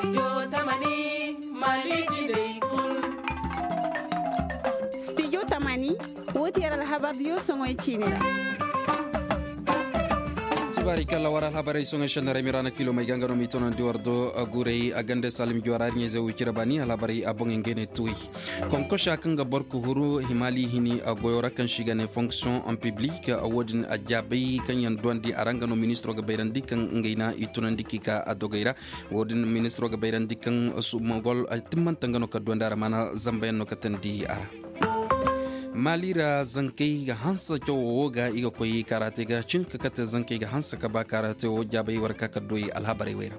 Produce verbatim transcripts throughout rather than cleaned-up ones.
Studio tamani, woo ti yar alhabar diyo soŋoy ciini ra. Subaari kalla war alhabarey soŋoy sennarey miraana kilo may ga nga no m'i tunandi war do. Guurey a gande salim juwara ɲayzey wo cire baani alhabarey a boŋey ngey ne tuwey. Konkosa kaŋ ga boro ka huru himaali hini a goyo ra kaŋ se i ga ne fonction en public. Wo-din a jaabay kaŋ yaŋ duwandi a ra nga no ministiro ga bayrandi kaŋ ngey na i tunandi k'i ka a dogey ra. Wo-din ministiro ga bayrandi kaŋ sumagol timmante nga no ka duwandi a ra maana zambayaŋ no ka teendi a ra. Maali ra zankey ga hanse cawo wo ga i ga koy kaarate ga cin ka kate zankey ga hanse ka ba kaarate wo jaabay war ka ka doy alhabarey wey ra.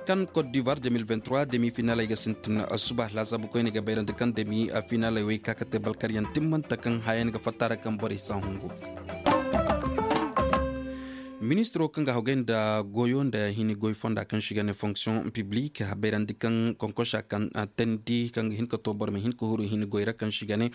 Kan kot divoir deux mille vingt-trois demi finaley ga sintin suba laasaabu koyne ga bayrandi kaŋ demi finaley wey ka kate balkaryaŋ timmante kaŋ hayayaŋ ga fatta ra kaŋ borey si a hungu. Ministiro kaŋ ga hawgay nda goyo nda hini goy fonda kaŋ se i ga ne fonction publique a bayrandi kaŋ konkosa kaŋ teendi kaŋ ga hin ka to boro ma hin ka huru hini goy ra kaŋ se i ga ne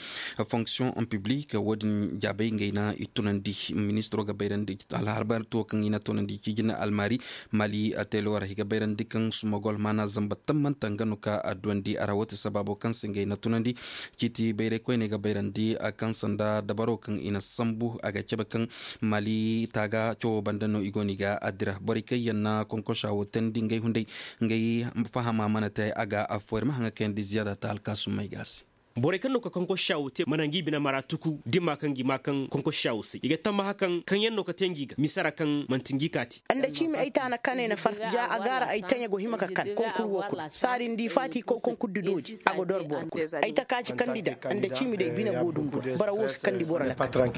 fonction publique wo-din jaabay ngey na i tunandi. Ministiro ga bayrandi alhabar tuwo kaŋ i na tunandi ci jina almaari maali teelo ra i ga bayrandi kaŋ sumagol maana zamba tammanta nga no ka a duwandi a ra wo ti sabaabo kaŋ se ngey na tunandi. Ciiti bayray koyne ga bayrandi a kaŋ sanda dabaro kaŋ i na sambu a ga cabe kaŋ maali taaga cawo banda no i go no i ga a dira borey kaŋ yaŋ na konkosa wo teendi ngey hunday ngey fahama mana te a ga affo ir ma haŋa kayandi ziyaada ta alkaasumey ga a se. Borey kaŋ no ka konkosa wo te mana ngi bine mara tuku dimma kaŋ gi ma kaŋ konkosa wo se i ga tammaha kaŋ kaŋ yaŋ no ka te ngi ga misa ra kaŋ manti ngi kaati. Nda ciimi ay taana kanay na far ja a gaara ay taɲa go hima ka kan konkur wo kul saari nda i faati kow konkur di doodi a go dor boro kul. Ay takaaci kandi da nda ciimi day bine go dumbu ra bara wo si kandi boro lakkal.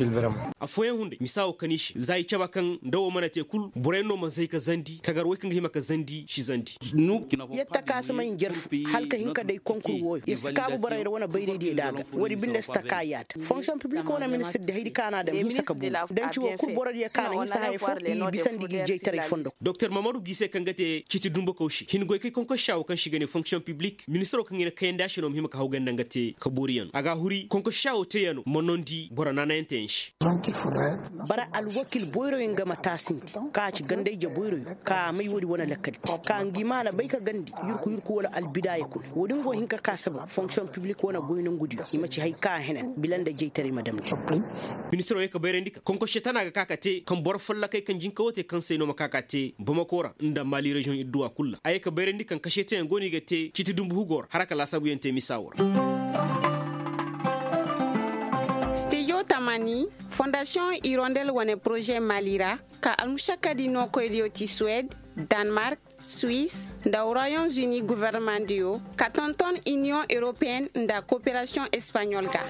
Affooyaŋ hunday misa wo kani se za i caba kaŋ nda wo mana te kul boroyaŋ no ma zay ka zandi kagar way kaŋ ga hima ka zandi si zandi. Yer takaasamay njarfu hala ka hin ka day konkur wooyo yer si kaabu borey ra wane bayraydiyo da a ga woodi binde si taka yaada fonksiyoŋ piblik wane ministir di haydi ka na a daŋ hinsa ka buru danci wo kul borodiyo ka na hinsa haya fo i bisandi gi jaytaray fondo. Doktor mamadu gise kaŋ ga te citi dumbukaw se hin goy kay konkosa wo kaŋ se i ga ne fonksiyoŋ piblik ministiro kaŋ i na kayandi a se no ma hima ka hawgay nda nga te ka booriyaŋ a ga a huri konkosa wo teeyano ma nondi boro naanayaŋ teeyaŋ se. Bara alwakil boyroyaŋ ga ma taasindi ka ci gandayje boyroyo ka a may woodi wane lakkali ka ngi maana bay ka gandi yurku yurku wala albidaya kul woodi nga go hin ka ka saba fonksiyoŋ piblik wane goy nongudiyo i ma ci hay ka a henan bila nda jaytaray ma damndi. Ministiro ye ka bayrandi ka konkosse tana ga ka ka te kaŋ boro follokey kaŋ jinka wo te kaŋ se ay no ma ka ka te bamako ra nda maali reziyoŋ idduwa kul ra a ye ka bayrandi kaŋ kaseteyaŋ go no i ga te citi dumbu hugo ra hala ka laasaabuyaŋ te misa wo ra. Stijo tamani fondasiyoŋ irondel wane poroze maali ra ka almušakkadi nookoydiyo ti suwed, danmark, suwis nda royom zuni gofornemandiyo ka tonton iniyoŋ europeyen nda koperasiyoŋ espaɲol ga.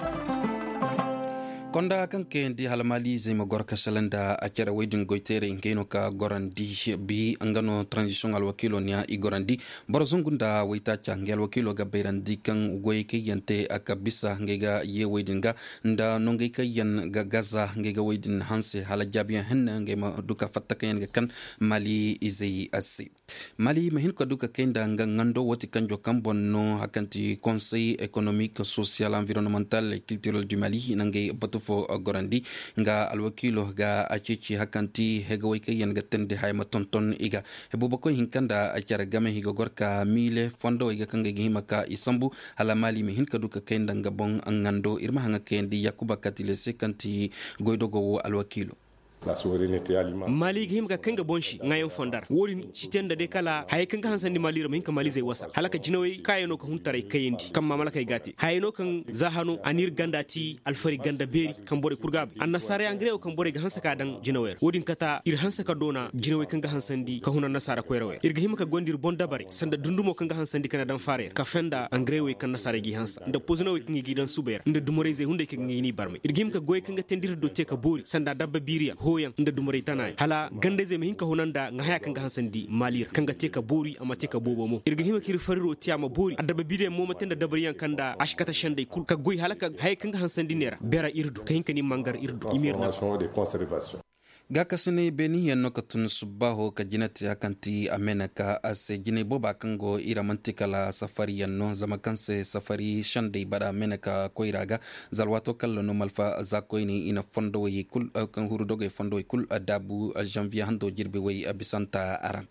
Konda kaŋ kayandi hala maali izey ma goro ka sala nda a cere wey din goyteerey ngey no ka gorandi bi nga no taranzisiyoŋ alwakiilo niya i gorandi boro zangu nda waytaaca ngey alwakiilo ga bayrandi kaŋ goyey kaŋ yaŋ te a ka bisa ngey ga yeewey din ga nda nongey kaŋ yaŋ ga gaza ngey ga wey din hanse hala jaabiyaŋ henna ngey ma du ka fatta kaŋ yaŋ ga kan maali izey se. Maali ma hin ka du ka kay nda nga ŋando woo ti kanjo kaŋ boŋ no hari kaŋ ti konsey ekonomik sosiyal anvironnemantal e kiltirel du maali na ngey batu fo gorandi nga alwakiilo ga a ceeci hari kaŋ ti hegawey kaŋ yaŋ ga teendi haya ma tonton i ga. Hebuubakoy hinka nda care game i ga gor ka miile fondowey ga kaŋ ga ay ga hima ka i sambu hala maali ma hin ka du ka kay nda nga boŋ ŋando ir ma haŋa kayandi yakuba katile se kaŋ ti goydogo wo alwakiilo. Maali ga hima ka kay nga boŋ se ŋaayaŋ fonda ra wo-din si te nda day kala hayey kaŋ ga hansandi maali ra ma hin ka maalizey wasa hala ka jinawey kaayano ka huntaray kayandi kaŋ maamalakey ga a te hayey no kaŋ za hano a n'ir ganda ti alfari ganda beeri kaŋ borey kul ga a bay annasaarey angare wo kaŋ borey ga hanse ka daŋ jinawey ra wo-din kata ir hanse ka doona jinawey kaŋ ga hansandi ka hun annasaara koyrawey ra ir ga hima ka gonda ir boŋ dabarey sanda dundumo kaŋ ga hansandi ka na daŋ faarey ra kafe nda angarewey kaŋ nasaarey g'i hanse nda pozinawey kaŋ i g'i daŋ subey ra nda dumurayzey hunday kaŋ ga n'i barmay ir ga hima ka goyey kaŋ ga teendi ir do te ka boori sanda dabba biiriyaŋ hooyaŋ nda dumurey tanaayaŋ hala gandayzey ma hin ka huna nda nga haya kaŋ ga hansandi maali ra kaŋ ga te ka boori a ma te ka boobo mo ir ga hima ka ir fariro te a ma boori adabba biiriyaŋ mo ma te nda dabariyaŋ kaŋ nda a si kate sendey kul ka goy hala ka hayey kaŋ ga hansandi ne ra beera ir du ka hin ka ni mangar ir du i ma ir nafa. Gaakasinay beeniyaŋ no ka tun subbaaho ka jina te a kaŋ ti a meeneka a se jinay booba kaŋ go i ra man'ti kala safariyaŋ no zama kaŋ se safari sendey bara meeneka koyra ga za alwaato kaŋ ra no malfa za koyne i na fondowey kul kaŋ huru dogey fondowey kul daabu zanviye hando jirbi way bisanta a ra.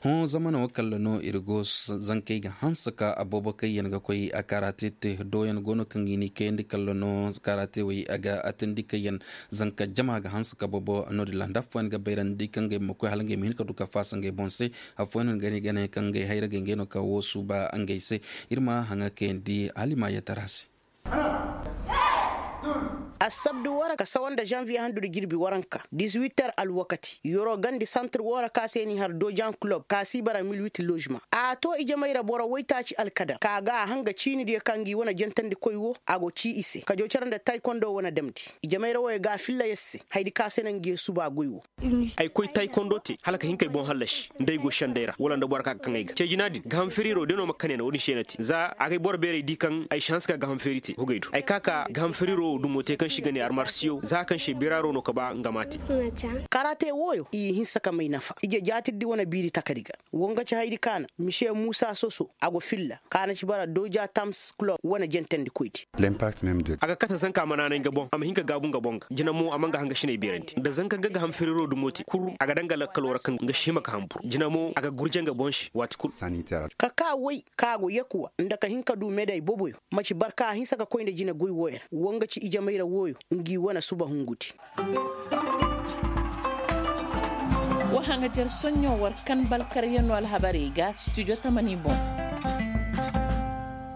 Hõ zamano kalla no ir go zankey ga hanse ka aboobo kaŋ yaŋ ga koy a karate te dooyaŋ go no kaŋ i n'i kayandi kalla no karate wey a ga atandi kaŋ yaŋ zanka jama ga hanse ka boobo no- din ra nda affooyaŋ ga bayrandi kaŋ ngey ma koy hala ngey ma hin ka du ka faasa ngey boŋ se. Affooyaŋ no ga ne ga ne kaŋ ngey hayra ga ngey no ka wo suuba ngey se. Ir ma haŋa kayandi hala i ma yeetara se. Assabdu woo ra ka sawa nda zanviye handu nda jirbi waranka disiwit ter alwakati yoro gandi santir woo ra ka se n'i har dojan kulob ka si bara mil wit lozema. A too ijamey ra boro waytaaci alkadar ka ga a hanga ciinidiyo ka ngi wane jantandikoy woo a go cii i se kajo cere nda taykondo wane damndi. Ijamey ra wooyo ga a filla yer se hayadi ka se na ngi ye suba goy woo. Ay koy taykondo te hala ka hin k'ay boŋ hallasi nda ay go sendey ra wala nda boro ka ga kaŋ ay ga ce jina din gaaham firiiro day no ma kane na wo- din se na te za a g'ay boro beerey di kaŋ ay si hanse ka gaaham firi te hugay do ay ka ka gaaham firiiro wo dumo te kaŋ se i ga ne armarsiyo za kaŋ se biraaro no ka ba nga m'a te. Karate wooyo i hinsa ka may nafa ije jaatirdi wane biiri takadi ga. Wo nga ci hayadi kaana mise muusa soso a go filla kaana ci bara dooja tams kulob wane jentandikoydi. A ga kate zanka a ma naanay nga boŋ a ma hin ka gaabu nga boŋ ga jina mo a ma nga hangasiney beerandi nda zanka nga ga ham feriro dumo te kul a ga daŋ nga lakkaloo ra kaŋ nga si hima ka hambur jina mo a ga gurje nga boŋ se waati kul. Ka kaa woy ka go yakuwa nda ka hin ka du meday boboyo maci barka a hinsa ka koy nda jine goy wooyo ra wo nga ci ijamay ra wooyo. Ngi wane suba hungudi. Wa haŋajer soɲɲo war kan balkaryanoo alhabarey ga studio tamani boŋ.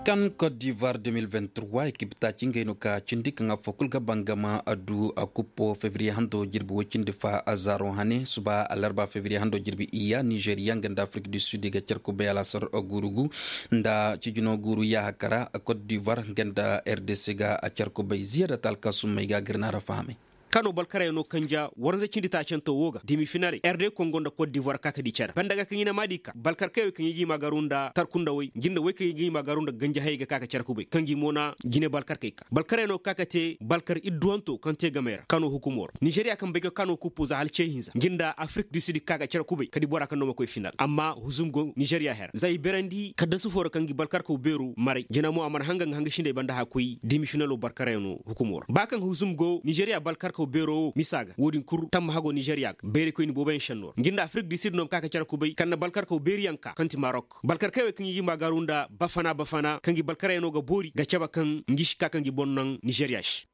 Kan kot divoir de mil vingt trois ekip taaci ngey no ka cindi kaŋ affoo kul ga bangama a du a kuppo fevriye hando jirbi woy cindi fa a zaaro hane suba alarba fevriye hando jirbi iyya nizeriya nga nda afrik du sud i ga car kubay alaasar guuru gu nda cijino guuru yaaha kara. Kot divoir nga nda rdc ga a car kubay ziyaada talka summey ga a ga ir naara fahamay. Kano balkarayano kanja waranza cindi taacantoo woo ga demi finaley erde kongo nda kot divoir ka ka di care banda ga kaŋ i na maadi ka balkarkey wey kaŋ i ga i maagaru nda tarkunda wey ngi nda wey kaŋ i ga i maagaru nda ganja hayey ga ka ka care kubay kaŋ gi mo na jine balkarkey ka balkarayano ka ka te balkar idduwantoo kaŋ te gamey ra kano hukumoo ra nizeriya kaŋ bay ga kano kuppo za hala ce hinza ngi nda afrik du sud ka ka care kubay ka di bora kaŋ no ma koy final amma huzum go nizeriya hera za i berandi kaddasu foo ra kaŋ gi balkarkaw beeroo maray jina mo a mana hanga nga hanga sinday banda haya koy demi finalo balkarayano hukumo ra ba kaŋ huzum go nizeriya balkarkaw beero wo misa ga wo- din kul tamma hago nizeriya ga bayraykoyni booboyaŋ senno ra ngi nda afrik du sud no ma ka ka care kubay kaŋ na balkarkaw beeriyaŋ ka kaŋ ti marok balkarkey wey kaŋ i ga i maagaru nda bafana bafana kaŋ gi balkarayano ga boori ga cabe kaŋ ngi si ka kaŋ gi boŋ naŋ nizeriya se.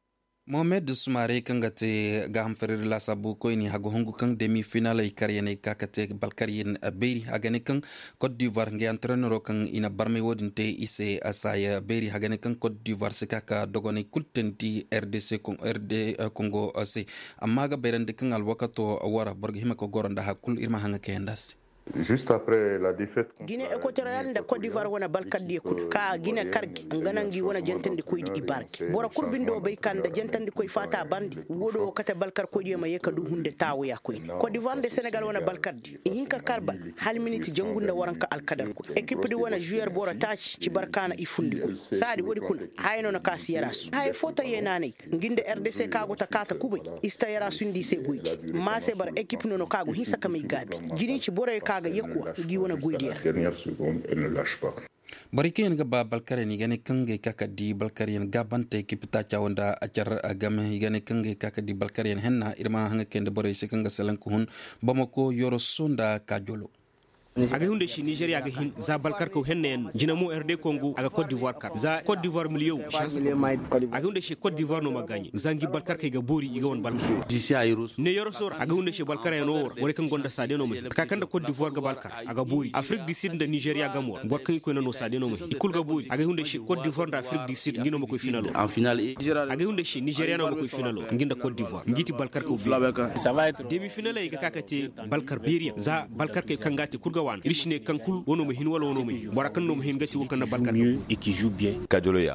Mohamed sumaare kaŋ ga te gaaham feredi laasaabu koyni hagu hungu kaŋ demi finaley karyaney ka ka te balkaryan beeri a ga ne kaŋ kot divoir ngey antarenero kaŋ i na barmay wo- din te i se a saaya beeri a ga ne kaŋ kot divoir si ka ka dogoney kul teendi rdc kongo se. Amma a ga bayrandi kaŋ alwakato wara boro ga hima ka goro nda haya kul ir ma haŋa kayandi a se. Gine ekotoriyal nda kot divoir wane balkardiyo kul ka gine kar gi nga naŋ gi wane jantandikoydi i baargi boro kul bindo bay ka nda jantandikoy faata barndi. Woo do wo kate balkarkoydiyo ma yee ka du hunde taawaya koyne kot divoir nda senegal wane balkardi i hin ka kar bal hala miniti jangu nda waranka alkadar kul ekipdi wane zuyer boro taaci ci barkaana i fundi koy saadi woodi kul haya no na ka si yarasu haya foo ta yeenaanay. Ngi nda rdc ka go ta kaata kubay i si ta yarasu nda i se goydi. Maase bara ekip no no ka go hinsa ka may gaabi. Jini ci borey ka ga yakuwa ngi wane goydiyo ra. Borey kaŋ yaŋ ga ba balkaryaŋ i ga ne kaŋ ga ay ka ka di balkaryaŋ gaabante ekip taaca wo nda a car game i ga ne kaŋ ga ay ka ka di balkaryaŋ henna ir ma haŋa kayandi borey se kaŋ ga salaŋ ka hun bamako yoroso nda kaajolo. Agay hunday se nizeriya ga hin za balkarkaw hennayaŋ no jina mo erde kongo a ga kot divoir kar za kot divoir miliyoŋ. Agay hunday se kot divoir no ma gaaɲe za ngi balkarkey ga boori i ga wane balkar. Ne yoroso ra agay hunday se balkaryaŋo wo ra borey kaŋ gonda saade no ma hin taka kaŋ nda kot divoir ga balkar a ga boori afrik du sud nda nizeriya gamo ra boro kaŋ i koy na no saade no ma hin i kul ga boori agay hunday se kot divoir nda afrik du sud ngi no ma koy finalo. Agay hunday se nizeriya no ma koy finalo ngi nda kot divoir ngi ti balkarkaw beeri. Demi finaley ga ka ka te balkar beeriyaŋ za balkarkey kaŋ ga a te kul ga waana ir si ne kaŋ kul wano ma hin wala wano ma hin bora kaŋ no ma hin ga ti wo kaŋ na balkar.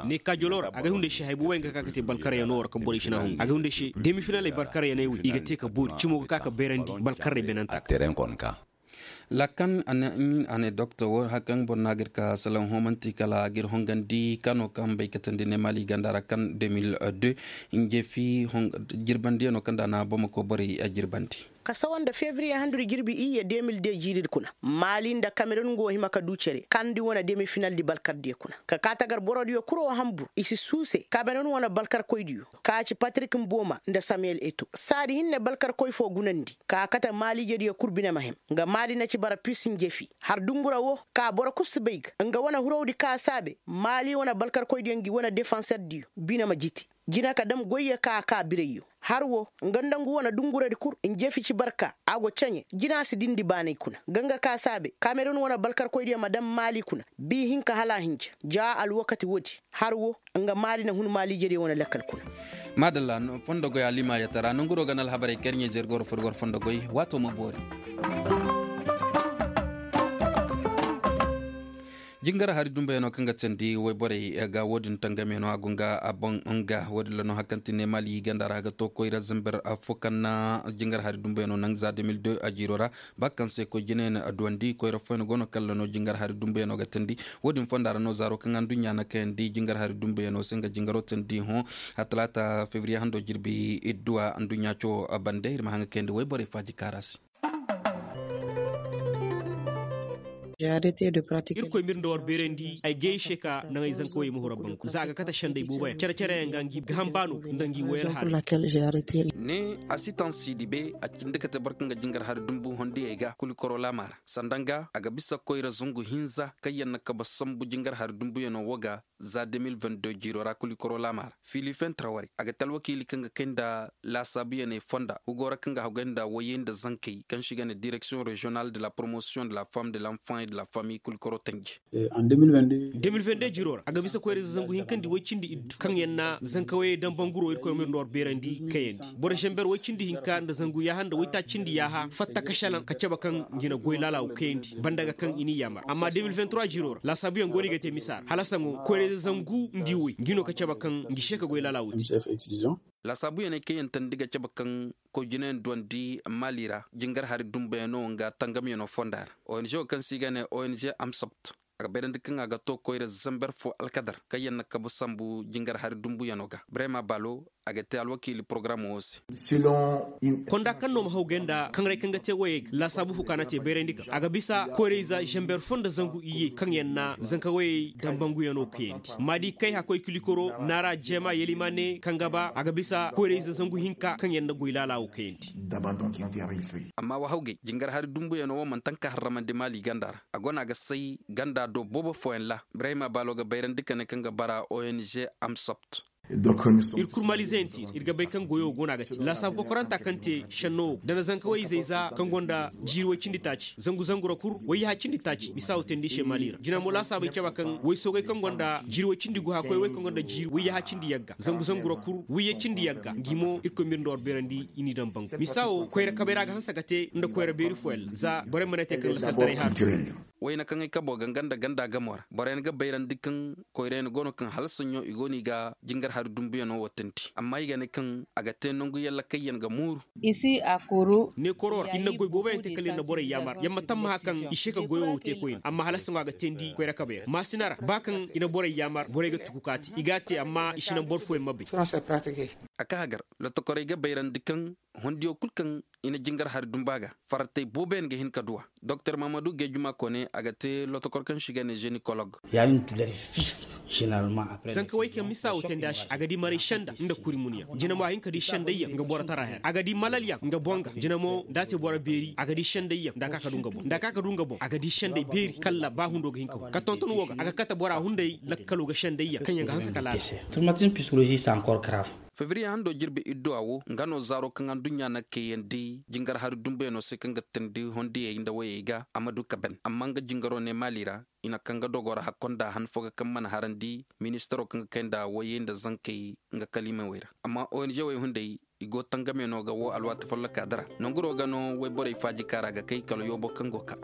Ne kaajolo ra agay hunday se hay booboyaŋ ga ka ka te balkaryaŋo ra kaŋ borey si na hungu agay hunday se demi finaley balkaryaŋey wo i ga te ka boori cimo ga ka ka beerandi balkarrey benanta ga. Lakan a ne doktor wo hari kaŋ boro no a ga ir ka salaŋ hoomanti kala a ga ir hongandi kano kaŋ bay katandi ne mali ganda ra kaŋ deux mille deux. Njeefi jirbandiyaŋo kaŋ nda a na bamako borey jirbandi. Ka sawa nda febriye handudi jirbi iyye de mil de jiiridi kuna, maali nda kamerun go hima ka du cere kandi wane demi finaldi balkardiyo kuna. Ka kaa tagar borodiyo kul wo hanbur i si suuse kamerun wane balkarkoydiyo, ka ci patrik mbooma nda samiyel eto saadi hinne balkarkoy foo gunandi ka a kate maaliijediyo kul bine ma hem. Nga maali na ci bara pis njefi har dungura woo, ka boro kul si bay ga nga wane hurowdi ka a saabe maali wane balkarkoydiyo ngi wane defanserdiyo bine ma jiti. Jina ka dam goyyo ka a kaa birayyo. Har woo, nga nda ngu wane dunguradi kul njefi ci barka a go ceɲe jina si dindi baanay kuna ga nga ka saabe kamerun wane balkarkoydiyo ma dam maali kuna. Bii hinka hala a hinja ja alwakati woodi. Har woo, nga maali na hun maaliijediyo wane lakkal kuna. Maadalla. Fondo goy alima yatara nonguro ga na alhabarey karɲe zergoro furgor fondo goy. Waato ma boori. Jingar hari dumbayano kaŋ ga teendi wayborey ga woodin tangameno a go nga a boŋ nga woodin ra no hari kaŋ ti neemali ganda ra ga to koyra zamber fo kaŋ na jingar hari dumbayano naŋ za deux mille deux a jiiro ra. Ba kaŋ se koy jinayaŋ a duwandi koyra foyna go no kaŋ ra no jingar hari dumbayano ga teendi. Woodin fonda ra no zaaro kaŋ anduɲɲa na kayandi jingar hari dumbayano se nga jingaro teendi hõ. A talaata febriye hando jirbi idduwa anduɲɲa co bande ir ma haŋ ga kayandi wayborey faaji kaara se. Irkoy m'ir nda war beerandi ay gay se ka naŋ ay zankawey ma hura bangu za a ga kate senday booboyaŋ cere-cere yaŋ ga ngi ga hambaano nda ngi woy alhaarey. Ne a si taŋ siidi be a cindi kate boro kaŋ ga jingar hari dumbu hondiyey ga kulikoro laama ra sanda nga a ga bisa koyra zangu hinza kaŋ yaŋ na kabe sambu jingar hari dumbuyaŋo wo ga. Za deux mille vingt-deux jiiro ra kulikoro laama ra fiili fentara warey a ga te alwakiili kaŋ ga kay nda laasaabuyaney fonda hugo ra kaŋ ga hagay nda wayey nda zankey kaŋ se i ga ne direksiyoŋ reziyonal de la promotion de la femme de l'enfant et de la famille kulikoro tanji. Deux mille vingt-deux jiiro ra a ga bisa koyra ize zangu hinka nda way cindi iddu kaŋ yaŋ na zankawayey daŋ banguro irkoy ma ir nda war beerandi kayandi boro zamber way cindi hinka nda zangu yaaha nda waytaaci cindi yaaha fatta ka salaŋ ka cabe kaŋ ngi na goy laalaawu kayandi banda ga kaŋ i n'i yaamar amma deux mille vingt-trois jiiro ra laasaabuyaŋ go no i ga te misa ra hala saŋo koyra ize zangu nda i way ngi no ka cabe kaŋ ngi se ka goy laalaawu te. Laasaabuyaney kaŋ yaŋ teendi ga cabe kaŋ koy jinayaŋ duwandi maali ra jingar hari dumbayaŋo nga tangamyaŋo fonda ra ong wo kaŋ se i ga ne ong amsabt a ga bayrandi kaŋ a ga to koyra zamber fo alkadar kaŋ yaŋ na kabe sambu jingar hari dumbuyaŋo ga brema baalo a ga te alwakiili porogaram wo se. Konda kaŋ no ma haw gay nda kaŋray kaŋ ga te woyey ga laasaabu fo ka na te bayrandi kaŋ a ga bisa koyrayze zamber fo nda zangu iyye kaŋ yaŋ na zanka woyey dambanguyaŋo kayandi maadi kay hakkoy kilikoro naara jeema yelimaane kaŋ ga ba a ga bisa koyrayze zangu hinka kaŋ yaŋ na goy laala wo kayandi. Amma wa hawgay jingar hari dumbuyaŋo wo manti haŋ ka harramandi maali ganda ra a go no a ga say ganda do boobo fooyaŋ ra. Ibrahima baalo ga bayrandi ka ne kaŋ ga bara ong amsopt. Ir kul malizeyaŋ ti ir ga bay kaŋ goyo go no a ga te laasaabu kokoranta kaŋ te šenno wo nda na zanka woy izey za kaŋ gonda jiiri woy cindi taaci zangu zangu ra kul woy yaha cindi taaci misa wo teendi i se maali ra jina mo laasaabey caba kaŋ woy soogey kaŋ gonda jiiri woy cindi guha koy woy kaŋ gonda jiiri woy yaha cindi yagga zangu zangu ra kul woy ya cindi yagga ngi mo irkoy ma ir nda war beerandi i n'i daŋ bangu misa wo koyra kabay ra a ga hanse ka te nda koyra beeri fooyaŋ ra za borey mana te kaŋ lasaltaray haaru. Wayna kaŋ ay kabo ganga nda ganda gamo ra boroyaŋ ga bayrandi kaŋ koyrayaŋ go no kaŋ hala saɲɲo i go no i ga jingar hari dumbuyaŋo wo teendi amma i ga ne kaŋ a ga te nangu yalla kaŋ yaŋ ga mooru. Neekoro ra ir na goy booboyaŋ te kala ir na borey yaamar yaŋ ma tammaha kaŋ i se ka goyo wo te koyne amma hala saŋo a ga teendi koyra kabay ra maasina ra ba kaŋ i na borey yaamar borey ga tuku ka te i g'a te amma i si naŋ boro fooyaŋ ma bay. A ka hagar lotokorey ga bayrandi kaŋ hondiyo kul kaŋ i na jingar hari dumba ga fartey booboyaŋ ga hin ka duw'a. Doktor mahamadu geejuma koone a ga te lotokor kaŋ se i ga ne zenikolog. Zanka way kaŋ misa wo teendi a se a ga di maray senda nda kuri munyaŋ jina mo a hin ka di sendayyaŋ nga boro tara her a ga di malalyaŋ nga boŋ ga jina mo nda a te boro beeri a ga di sendayyaŋ nda a ka ka du nga boŋ nda a ka ka du nga boŋ a ga di senday beeri kala ba hundo ga hin ka hun ka tonton wo ga a ga kate bora hunday lakkalo ga sendayyaŋ kaŋ yaŋ ga hanse ka laala. Fevriye hando jirbi idduwa wo nga no zaaro kaŋ aduɲɲa na kayandi jingar hari dumbuyaŋo se kaŋ ga teendi hondiyey nda woyey ga a ma du ka ban amma nga jingaro ne maali ra i na kaŋ ga dogo ra hakko nda han fo ga kaŋ mana harandi ministaro kaŋ ga kay nda woyey nda zankey nga kaliimey wey ra amma ong wey hunday i go tangamyaŋo ga wo alwaati folloka dara nanguro ga no woyborey faaji kaara ga kay kala yoobo kaŋ go ka.